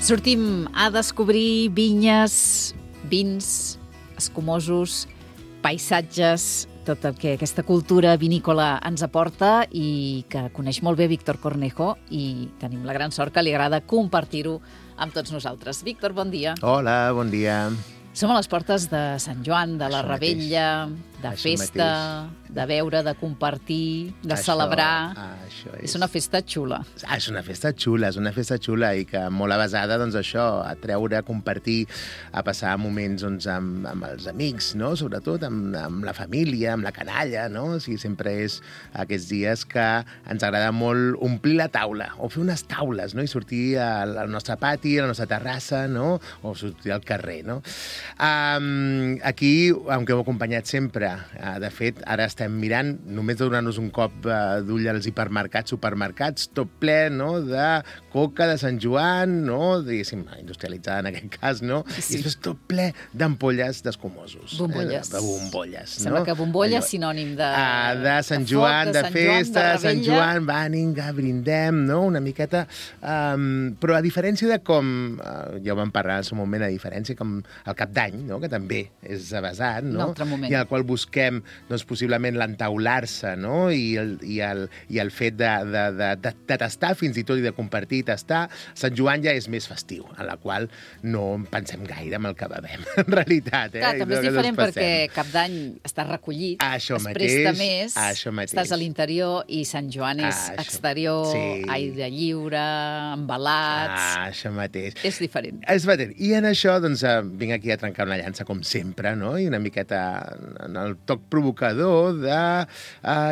Sortim a descobrir vinyes, vins, escumosos, paisatges, tot el que aquesta cultura vinícola ens aporta i que coneix molt bé Víctor Cornejo, i tenim la gran sort que li agrada compartir-ho amb tots nosaltres. Víctor, bon dia. Hola, bon dia. Som a les portes de Sant Joan, de la Rebella, de festa, de beure, de compartir, de celebrar. És una festa xula. És una festa xula i que molt avasada, doncs això, a treure, a compartir, a passar moments amb els amics, no? Sobretot amb la família, amb la canalla, no? O sigui, sempre és aquests dies que ens agrada molt omplir la taula, o fer unes taules, no? I sortir al nostre pati, a la nostra terrassa, no? O sortir al carrer, no? Aquí, aunque heu acompanyat sempre, de fet, ara estem mirant, només donant-nos un cop d'ull als hipermercats, supermercats, tot ple, no?, de coca de Sant Joan, no?, diguéssim, industrialitzada en aquest cas, no?, sí. I després tot ple d'ampolles d'escumosos. Bombolles. De bombolles, Sembla que bombolla és sinònim de Sant Joan, de festa, de Sant Joan, vinga, brindem, no?, una miqueta. Però a diferència de com, ja ho vam parlar en el seu moment, a diferència com el Cap d'Any, no?, que també és avasat, no?, i al qual busquem, doncs, possiblement l'entaular-se, no?, i el fet de tastar fins i tot i de compartir i tastar. Sant Joan ja és més festiu, en la qual no pensem gaire en el que bevem, en realitat. Clar, també és diferent perquè Cap d'Any està recollit, es presta més, estàs a l'interior, i Sant Joan és exterior, aire lliure, embalats... Això mateix. És diferent. És diferent. I en això, doncs, vinc aquí a trencar una llança, com sempre, no?, i una miqueta en el toc provocador de...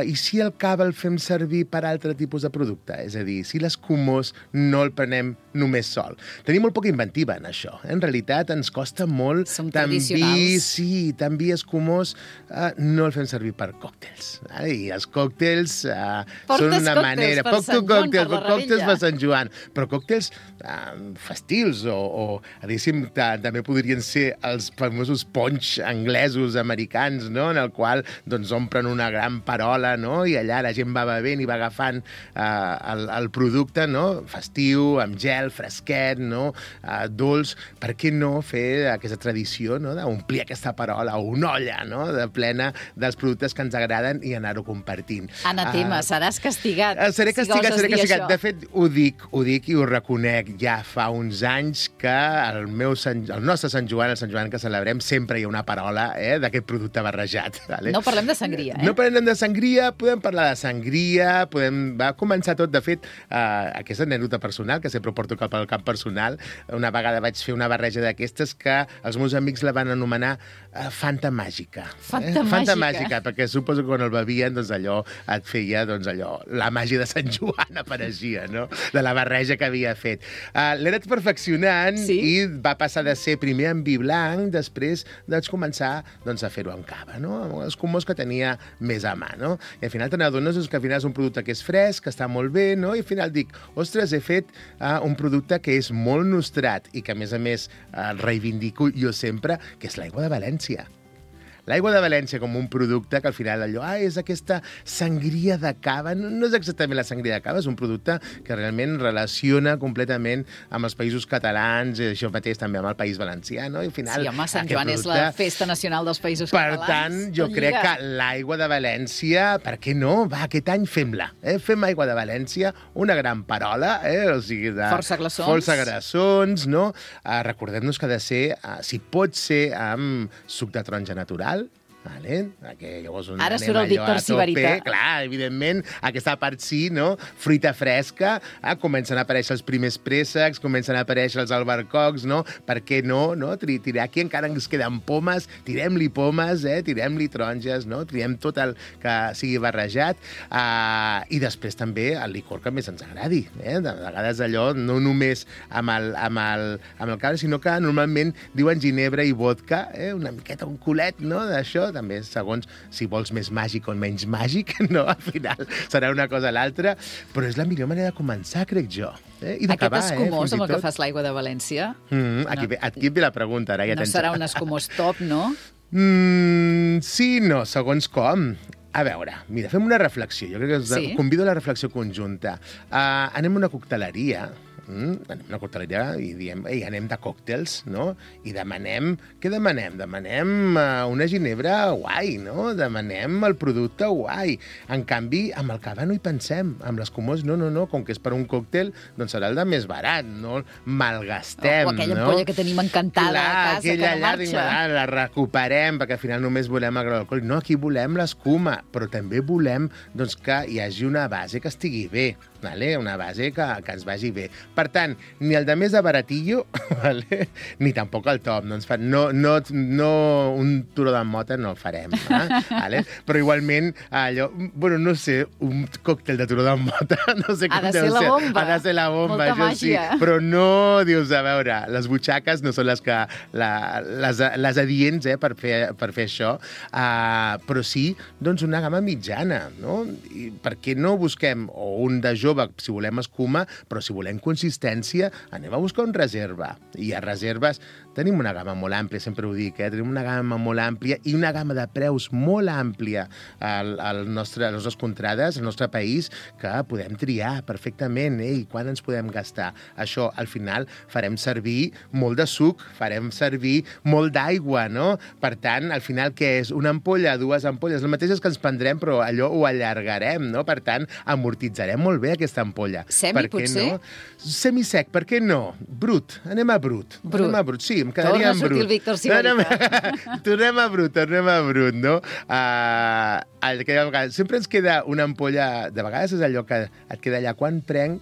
I si el cava el fem servir per altre tipus de producte? És a dir, si l'escumós no el prenem només sol. Tenim molt poca inventiva en això. En realitat, ens costa molt... Som tradicionals. Sí, també escumós no el fem servir per còctels. I els còctels són una manera... Porto còctels per Sant Joan, però còctels festius o diguéssim, també podrien ser els famosos punch anglesos, americans, no?, en el qual doncs omplen una gran parola, no?, i allà la gent va bevent i va agafant el producte, no?, festiu, amb gel, fresquet, no?, dolç. Per què no fer aquesta tradició, no?, d'omplir aquesta parola, o una olla, no?, de plena dels productes que ens agraden i anar-ho compartint. Anatema, seràs castigat. Seré castigat. De fet, ho dic i ho reconec. Ja fa uns anys que el nostre Sant Joan, el Sant Joan que celebrem, sempre hi ha una parola d'aquest producte barrejat. Vale? No parlem de sangria, No parlem de sangria, podem parlar de sangria, va començar tot, de fet, aquesta anècdota personal, que sempre porto cap al camp personal. Una vegada vaig fer una barreja d'aquestes que els meus amics la van anomenar Fanta Màgica. Fanta Màgica, perquè suposo que quan el bevien, doncs allò et feia, doncs allò, la màgia de Sant Joan apareixia, no?, de la barreja que havia fet. L'he anat perfeccionant i va passar de ser primer en vi blanc, després vaig començar a fer-ho amb cava, no?, amb els escumós que tenia més a mà, no? I al final te n'adones que al final és un producte que és fresc, que està molt bé, no? I al final dic, ostres, he fet un producte que és molt nostrat i que, a més, reivindico jo sempre, que és l'aigua de València. L'aigua de València com un producte que al final allò, és aquesta sangria de cava. No és exactament la sangria de cava, és un producte que realment relaciona completament amb els països catalans, i això mateix també amb el País Valencià, no? I al final, sí, home, Sant Joan és la festa nacional dels països catalans. Per tant, jo crec que l'aigua de València, per què no? Va, aquest any fem-la. Fem aigua de València, una gran parola, o sigui, de força glaçons, no? Recordem-nos que ha de ser, si pot ser, amb suc de taronja natural. Vale? Ara surt el Víctor Sibarita. Clar, evidentment, aquesta part sí, no? Fruita fresca, comencen a aparèixer els primers préssecs, comencen a aparèixer els albercocs, no? Per què no? Tirar aquí encara ens queden pomes, tirem-li pomes, tirem-li taronges, no? Tirem tot el que sigui barrejat, i després també el licor que més ens agradi. De vegades allò, no només amb el cava, sinó que normalment diuen ginebra i vodka, una miqueta, un culet, no?, d'això, també, segons si vols més màgic o menys màgic, no? Al final serà una cosa o l'altra, però és la millor manera de començar, crec jo. I d'acabar, aquest escumós amb el que fas l'aigua de València... Aquí ve la pregunta, ara ja no serà un escumós top, no? Sí, no, segons com. A veure, mira, fem una reflexió. Jo crec que us convido a la reflexió conjunta. Anem a una cocteleria, anem a una cocteleria i diem, ei, anem de còctels, no? I demanem, què demanem? Demanem una ginebra guai, no? Demanem el producte guai. En canvi, amb el cava no hi pensem, amb l'escumós no, com que és per un còctel, doncs serà el de més barat, no el malgastem, o aquella ampolla que tenim encantada a casa, aquella que no marxa. la recuperem, perquè al final només volem el grau alcohòlic. No, aquí volem l'escuma, però també volem doncs, que hi hagi una base que estigui bé, vale? Una base que ens vagi bé. Per tant, ni el de més de baratillo, vale? Ni tampoc el top. No, un turó de mota no el farem. Vale? Però igualment, allò, bueno, no sé, un còctel de turó de mota, no sé com ha de ser la bomba. Ha de ser la bomba, molta això màgia. sí. Però no, dius, a veure, les butxaques no són les que les adients per fer això, però sí doncs una gamma mitjana, no? I per què no busquem un de jove si volem escuma, però si volem consistència, anem a buscar un reserva. I a reserves tenim una gamma molt àmplia, sempre ho dic, tenim una gamma molt àmplia i una gamma de preus molt àmplia a les nostres contrades, al nostre país, que podem triar perfectament, i quan ens podem gastar. Això, al final, farem servir molt de suc, farem servir molt d'aigua, no? Per tant, al final, què és? Una ampolla, dues ampolles, les mateixes que ens prendrem, però allò ho allargarem, no? Per tant, amortitzarem molt bé aquesta ampolla. Semi, potser? No? Semisec, per què no? Brut, anem a brut. Anem a brut, sí, em quedaria en brut. Torna a sortir el Víctor Sibarita. Tornem a brut, no? Sempre ens queda una ampolla, de vegades és allò que et queda allà, quan prenc,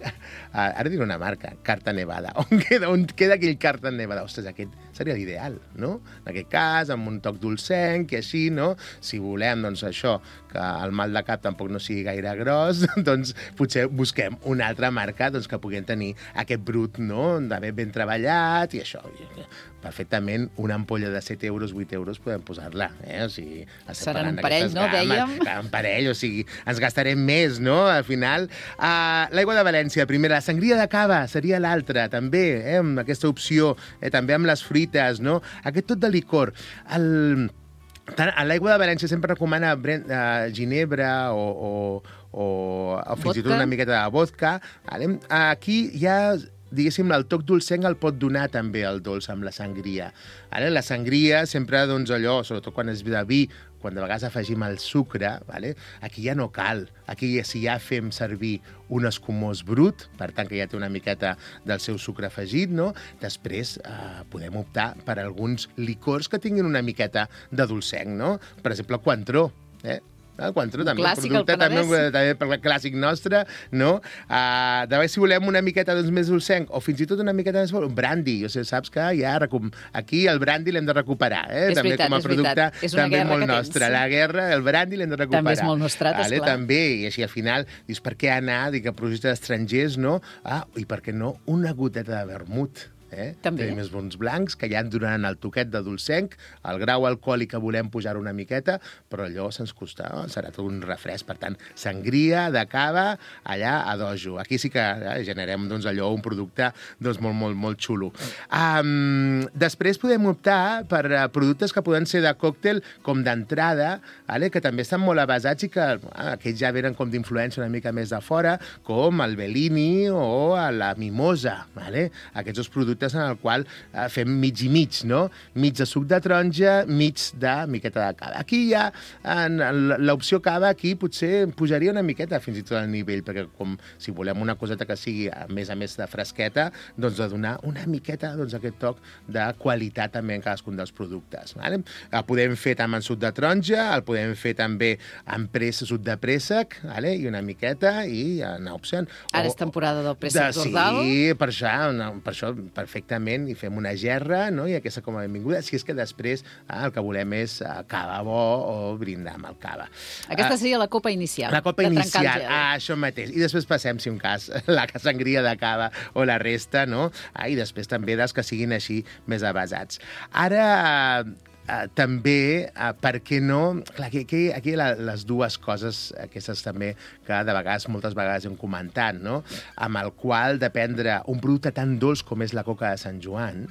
ara diré una marca, Carta Nevada, on queda aquell Carta Nevada? Ostres, aquest seria l'ideal, no? En aquest cas, amb un toc dolcenc i així, no? Si volem, doncs, això, que el mal de cap tampoc no sigui gaire gros, doncs potser busquem una altra marca doncs, que puguem tenir aquest brut, no? D'haver ben treballat i això. Perfectament, una ampolla de 7 euros, 8 euros podem posar-la. O sigui, seran un parell, no? Dèiem. Un parell, o sigui, ens gastarem més, no? Al final, l'aigua de València, primera. La sangria de cava seria l'altra, també, amb aquesta opció, també amb les fruites, no? Aquest tot de licor. A l'aigua de València sempre recomana ginebra o fins i tot una miqueta de vodka. Aquí ja diguéssim, el toc dolcenc el pot donar també el dolç amb la sangria. La sangria sempre, doncs, allò, sobretot quan és de vi, quan de vegades afegim el sucre, aquí ja no cal. Aquí, si ja fem servir un escumós brut, per tant, que ja té una miqueta del seu sucre afegit, no? Després podem optar per alguns licors que tinguin una miqueta de dolcenc, no? Per exemple, el Cointreau, el Cointreau, també clàssic, un producte també per clàssic nostre, no? De vegades, si volem una miqueta més dolcenc, o fins i tot una miqueta més fort, un brandy. Saps que ja aquí el brandy l'hem de recuperar, també com a producte també molt nostre. La guerra, el brandy l'hem de recuperar. També és molt nostrat, esclar. També, i així al final, dius, per què anar a projectes estrangers, no? I per què no una goteta de vermut? Tenim els bons blancs, que ja en donaran el toquet de dolcenc, el grau alcohòlic que volem pujar una miqueta, però allò se'ns costa, serà tot un refresc. Per tant, sangria de cava allà a dojo. Aquí sí que generem allò, un producte molt, molt, molt xulo. Després podem optar per productes que poden ser de còctel com d'entrada, que també estan molt avasats i que aquests ja venen com d'influència una mica més de fora, com el Bellini o la Mimosa. Aquests dos productes en el qual fem mig i mig, no? Mig de suc de taronja, mig de miqueta de cava. Aquí ja, l'opció cava, aquí potser pujaria una miqueta fins i tot al nivell, perquè com si volem una coseta que sigui a més de fresqueta, doncs de donar una miqueta aquest toc de qualitat també en cadascun dels productes. El podem fer també en suc de taronja, el podem fer també en suc de préssec, i una miqueta, i anar opcionant. Ara és temporada del préssec d'Ordal. Sí, per això perfectament, i fem una gerra, no? I aquesta com a benvinguda, si és que després el que volem és cava bo o brindar amb el cava. Aquesta seria la copa inicial. La copa inicial, això mateix. I després passem, si un cas, la sangria de cava o la resta, no? I després també dels que siguin així més avasats. Ara, també, per què no... Clar, aquí les dues coses, aquestes també, que moltes vegades hem comentat, no? Amb el qual de prendre un producte tan dolç com és la coca de Sant Joan,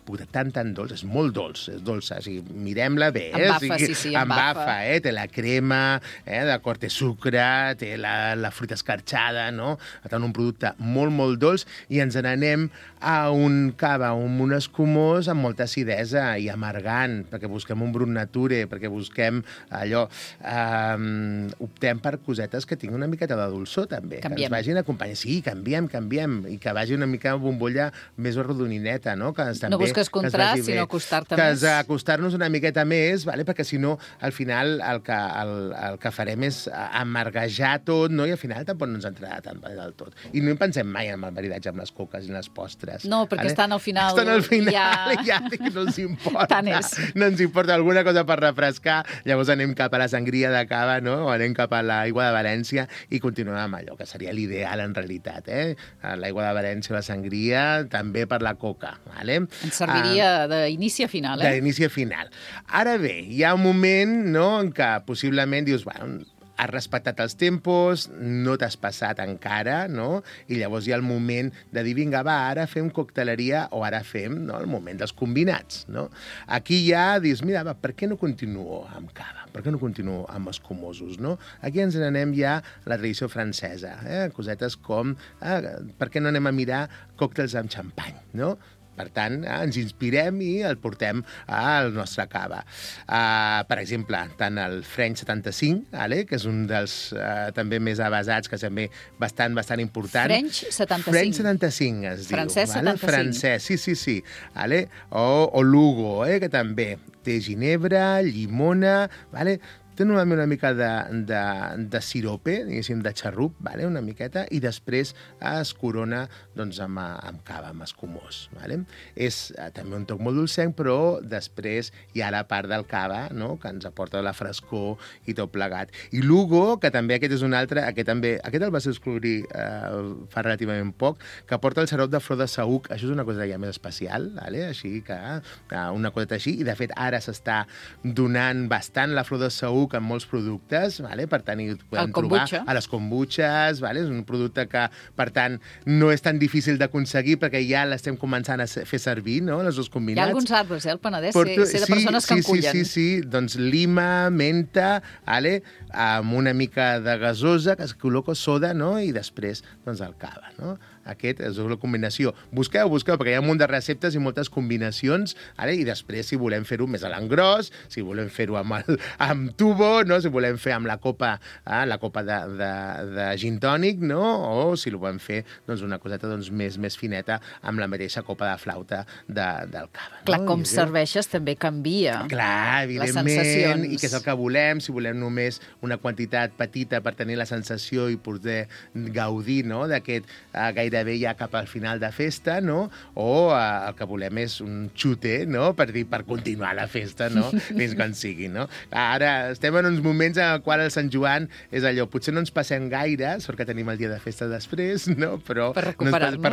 puta, tan dolç, és molt dolç, és dolça, o sigui, mirem-la bé. Embafa, sí, embafa. Té la crema, d'acord, té sucre, té la fruita escarxada, no? Té un producte molt dolç, i ens n'anem a un cava, un escumós amb molta acidesa i amargant, perquè busquem un brut nature, perquè busquem allò... optem per cosetes que tinguin una miqueta de dolçor, també. Canviem. Que ens vagin acompanyant. Sí, canviem, i que vagi una mica bombolla més arrodonineta, no? Que també, no busques contrast, sinó acostar-te més. Que acostar-nos una miqueta més, vale? Perquè si no, al final, el que farem és amarguejar tot, no? I al final tampoc no ens entrarà tant del tot. I no hi pensem mai en el maridatge amb les coques i les postres. No, perquè estan al final... Estan al final, ja no ens importa. Tant és. No ens importa alguna cosa per refrescar, llavors anem cap a la sangria de cava, no? O anem cap a l'aigua de València i continuem amb allò, que seria l'ideal en realitat, l'aigua de València, la sangria, també per la coca, vale? Ens serviria d'inici a final, D'inici a final. Ara bé, hi ha un moment, no?, en què possiblement dius, bueno, has respectat els tempos, no t'has passat encara, no? I llavors hi ha el moment de dir, vinga, va, ara fem cocteleria o ara fem, no?, el moment dels combinats, no? Aquí ja dius, mira, va, per què no continuo amb cava? Per què no continuo amb escumosos, no? Aquí ens n'anem ja a la tradició francesa, cosetes com, per què no anem a mirar còctels amb xampany, no? Per tant, ens inspirem i el portem al nostre cava. Per exemple, tant el French 75, que és un dels també més avasats, que també bastant important. French 75. French 75 es diu. Francès 75. Francès, sí. O Lugo, que també té ginebra, llimona, té normalment una mica de sirope, diguéssim, de xarrup, una miqueta, i després es corona doncs, amb cava, amb escumós. És també un toc molt dolcenc, però després hi ha la part del cava, no?, que ens aporta la frescor i tot plegat. I Lugo, que també aquest és un altre, aquest el vas descobrir fa relativament poc, que aporta el xarop de flor de saüc. Això és una cosa ja més especial, així que una coseta així, i de fet ara s'està donant bastant la flor de saüc amb molts productes, per tant, hi podem trobar a les kombuches, és un producte que, per tant, no és tan difícil d'aconseguir perquè ja l'estem començant a fer servir, no?, els dos combinats. Hi ha alguns arbres, al Penedès, sé de persones que en cullen. Sí, doncs lima, menta, amb una mica de gasosa, que es col·loca soda, no?, i després, doncs, el cava, no? Aquest és la combinació. Busqueu, perquè hi ha un munt de receptes i moltes combinacions, i després, si volem fer-ho més a l'engròs, si volem fer-ho amb tubo, no?, si volem fer amb la copa de gin tònic, no?, o si ho volem fer doncs, una coseta doncs, més fineta amb la mateixa copa de flauta del cava. Clar, com serveixes també canvia. Clar, evidentment, i què és el que volem, si volem només una quantitat petita per tenir la sensació i poder gaudir, no?, d'aquest gairebé ja cap al final de festa, no?, o el que volem és un xute, no?, per continuar la festa, no?, fins quan sigui, no? Ara estem en uns moments en el qual el Sant Joan és allò, potser no ens passem gaire, sort que tenim el dia de festa després, no?, però per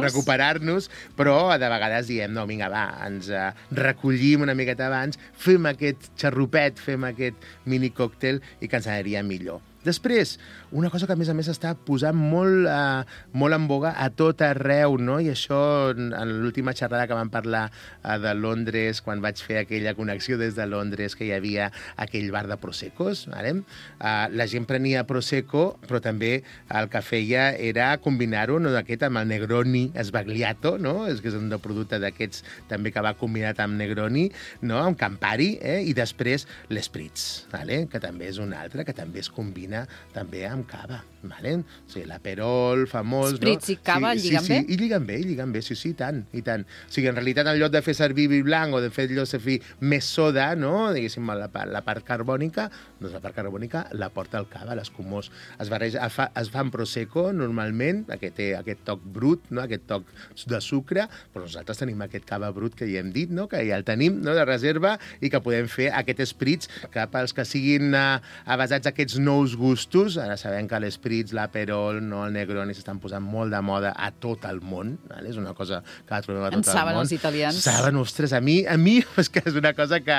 recuperar-nos, però de vegades diem, no, vinga, va, ens recollim una miqueta abans, fem aquest xarrupet, fem aquest mini còctel i que ens aniria millor. Després, una cosa que a més està posant molt en boga a tot arreu, no? I això en l'última xerrada que vam parlar de Londres, quan vaig fer aquella connexió des de Londres, que hi havia aquell bar de Proseccos, la gent prenia Prosecco, però també el que feia era combinar-ho, no, d'aquest amb el Negroni Sbagliato, no? És que és un producte d'aquests també que va combinat amb Negroni, no? Amb Campari, i després l'Espritz, que també és un altre, que també es combina també amb cava, o sigui, l'aperol famós, Spritz i cava lliguen bé? I lliguen bé, sí, i tant. O sigui, en realitat, en lloc de fer servir vi blanc o de fer servir més soda, no?, diguéssim, la part carbònica, doncs la part carbònica la porta el cava, l'escumós. Es fa en Prosecco, normalment, que té aquest toc brut, no?, aquest toc de sucre, però nosaltres tenim aquest cava brut que ja hem dit, no?, que ja el tenim, no?, de reserva, i que podem fer aquest Spritz, que pels que siguin avasats aquests nous gustos. Ara sabem que l'Espritz, l'Aperol, no, el Negroni s'estan posant molt de moda a tot el món. Vale? És una cosa que la trobem a tot el món. En saben els italians. Saben, ostres, a mi és que és una cosa que...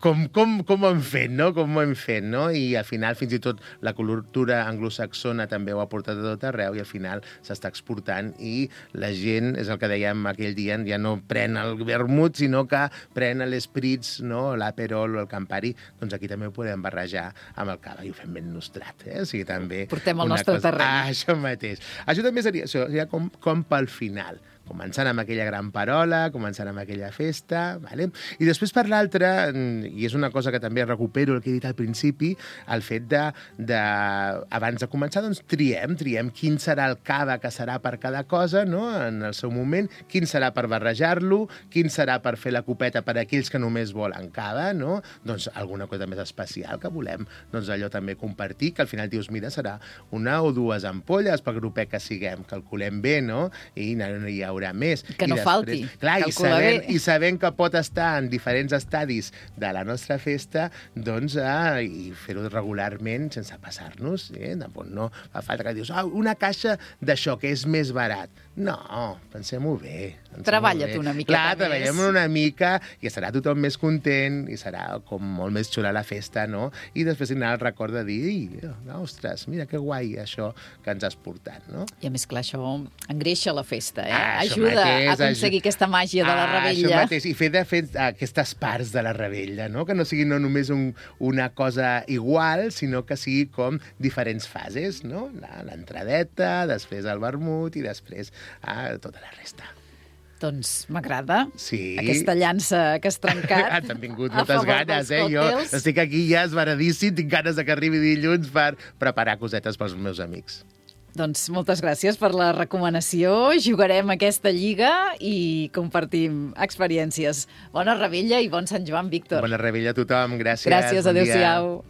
Com ho hem fet, no? Com ho hem fet, no? I al final, fins i tot, la cultura anglosaxona també ho ha portat a tot arreu i al final s'està exportant i la gent, és el que dèiem aquell dia, ja no pren el vermut, sinó que pren l'Espritz, no? L'Aperol o el Campari, doncs aquí també ho podem barrejar amb el cava i ho fem ben nostrat, O sigui, també... Portem el nostre terreny. Això mateix. Això també seria com pel final. Començant amb aquella gran parola, començant amb aquella festa, vale? I després per l'altra, i és una cosa que també recupero el que he dit al principi, el fet abans de començar, doncs triem quin serà el cava que serà per cada cosa, no? En el seu moment, quin serà per barrejar-lo, quin serà per fer la copeta per a aquells que només volen cava, no? Doncs alguna cosa més especial que volem, doncs allò també compartir, que al final dius, mira, serà una o dues ampolles pel grupet que siguem, calculem bé, no? I no hi haurà més. Que no falti. Clar, i sabent que pot estar en diferents estadis de la nostra festa, doncs, i fer-ho regularment sense passar-nos. No fa falta que dius, una caixa d'això que és més barat. No, pensem-ho bé. Treballa't una miqueta més. Clar, treballem una mica i estarà tothom més content i serà com molt més xula la festa, no? I després tindrà el record de dir, ostres, mira que guai això que ens has portat, no? I a més, clar, això engreixa la festa, ajuda a aconseguir aquesta màgia de la revetlla. Això mateix, i fer aquestes parts de la revetlla, no? Que no sigui no només una cosa igual, sinó que sigui com diferents fases, no? L'entradeta, després el vermut i després tota la resta. Doncs m'agrada. Sí. Aquesta llança que has trencat. T'han vingut moltes ganes, Jo estic aquí ja esvaradíssim, tinc ganes que arribi dilluns per preparar cosetes pels meus amics. Doncs moltes gràcies per la recomanació. Jugarem aquesta lliga i compartim experiències. Bona revetlla i bon Sant Joan, Víctor. Bona revetlla a tothom, gràcies. Gràcies, adéu-siau.